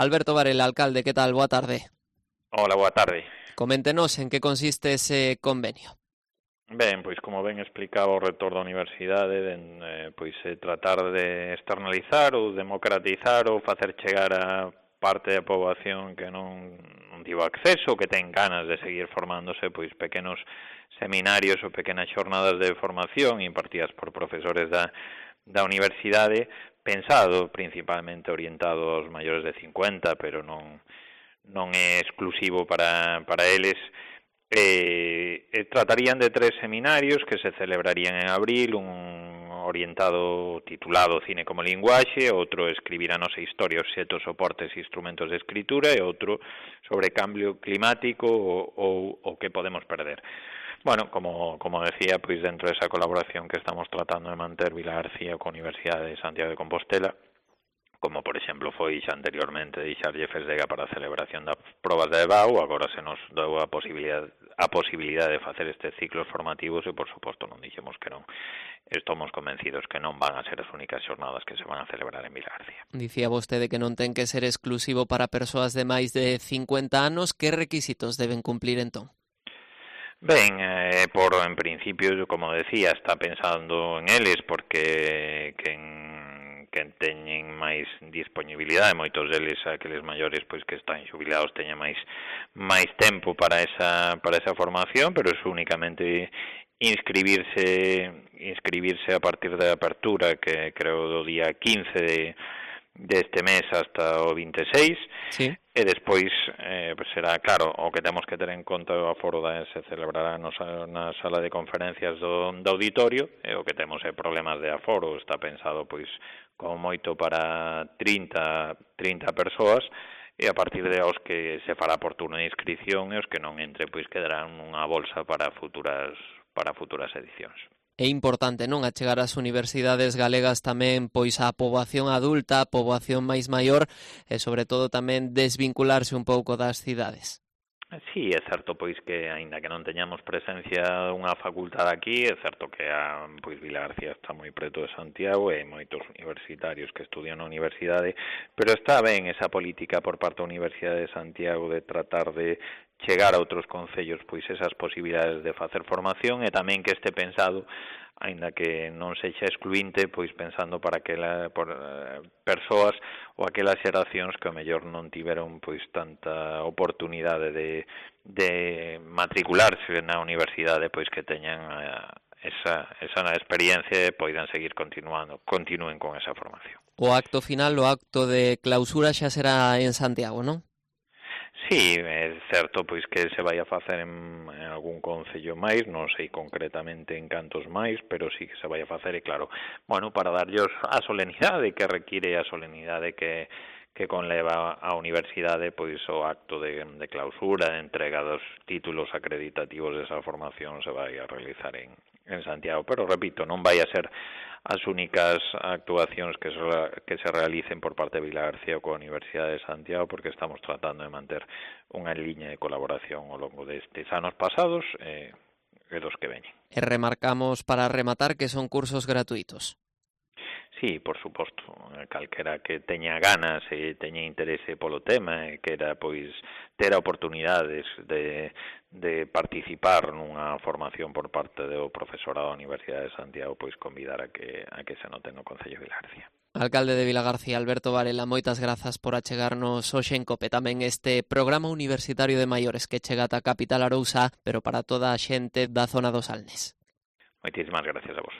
Alberto Varela, alcalde, que tal? Boa tarde. Hola, boa tarde. Coméntenos en que consiste ese convenio. Ben, pois como ben explicaba o rector da universidade, tratar de externalizar ou democratizar ou facer chegar a parte da poboación que non tivo acceso, que ten ganas de seguir formándose, pois pequenos seminarios ou pequenas xornadas de formación impartidas por profesores da universidade, pensado principalmente orientado aos maiores de 50, pero non é exclusivo para eles. Tratarían de 3 seminarios que se celebrarían en abril, un orientado titulado Cine como linguaxe, outro escribir a nosa historia, obxetos, soportes e instrumentos de escritura, e outro sobre cambio climático ou o que podemos perder. Bueno, como decía, pois dentro desa colaboración que estamos tratando de manter Vilar García coa Universidade de Santiago de Compostela, como por exemplo foi xa anteriormente deixarlle Fesdega para a celebración das probas da EBAU, agora se nos deu a posibilidade de facer estes ciclos formativos e, por suposto, non dixemos que non. Estamos convencidos que non van a ser as únicas xornadas que se van a celebrar en Vilagarcía. Dicía vostede que non ten que ser exclusivo para persoas de máis de 50 anos. Que requisitos deben cumplir entón? Ben, en principio, como decía, está pensando en eles porque que teñen máis disponibilidade, moitos deles, aqueles maiores pois que están xubilados, teñen máis tempo para esa formación, pero é únicamente inscribirse a partir da apertura, que creo do día 15 deste mes hasta o 26, sí. E despois será, claro, o que temos que ter en conta o aforo se celebrará na sala de conferencias do auditorio, e o que temos é problemas de aforo, está pensado pois como moito para 30 persoas, e a partir de aos que se fará por turno de inscripción, e os que non entre pois quedarán unha bolsa para futuras edicións. É importante, non, achegar ás universidades galegas tamén pois a poboación adulta, a poboación máis maior e sobre todo tamén desvincularse un pouco das cidades. Sí, é certo pois que aínda que non teñamos presencia dunha facultade aquí, é certo que Vilagarcía está moi preto de Santiago e moitos universitarios que estudian na universidade, pero está ben esa política por parte da Universidade de Santiago de tratar de chegar a outros concellos pois esas posibilidades de facer formación e tamén que este pensado, aínda que non sexa excluinte, pois pensando para persoas ou aquelas xeracións que ao mellor non tiveron pois tanta oportunidade de matricularse na universidade, pois que teñan esa experiencia e poidan seguir continúen con esa formación. O acto final, o acto de clausura xa será en Santiago, non? Sí, é certo pois que se vai a facer en algún concello máis, non sei concretamente en cantos máis, pero sí que se vai a facer e claro, para darllos a solemnidade que require, a solemnidade que conleva a universidade, pois o acto de clausura, de entrega dos títulos acreditativos desa formación se vai a realizar en Santiago, pero repito, non vai a ser as únicas actuacións que se realicen por parte de Vilagarcía coa Universidade de Santiago, porque estamos tratando de manter unha liña de colaboración ao longo destes anos pasados e dos que veñen. E remarcamos para rematar que son cursos gratuitos. Sí, por suposto, calquera que teña ganas e teña interese polo tema e quera pois ter oportunidades de participar nunha formación por parte do profesorado da Universidade de Santiago, pois convidar a que se anoten no Concello de Vilagarcía. Alcalde de Vilagarcía, Alberto Varela, moitas grazas por achegarnos hoxe en COPE tamén este programa universitario de maiores que chega ata a capital Arousa, pero para toda a xente da zona dos Salnes. Moitísimas gracias a vos.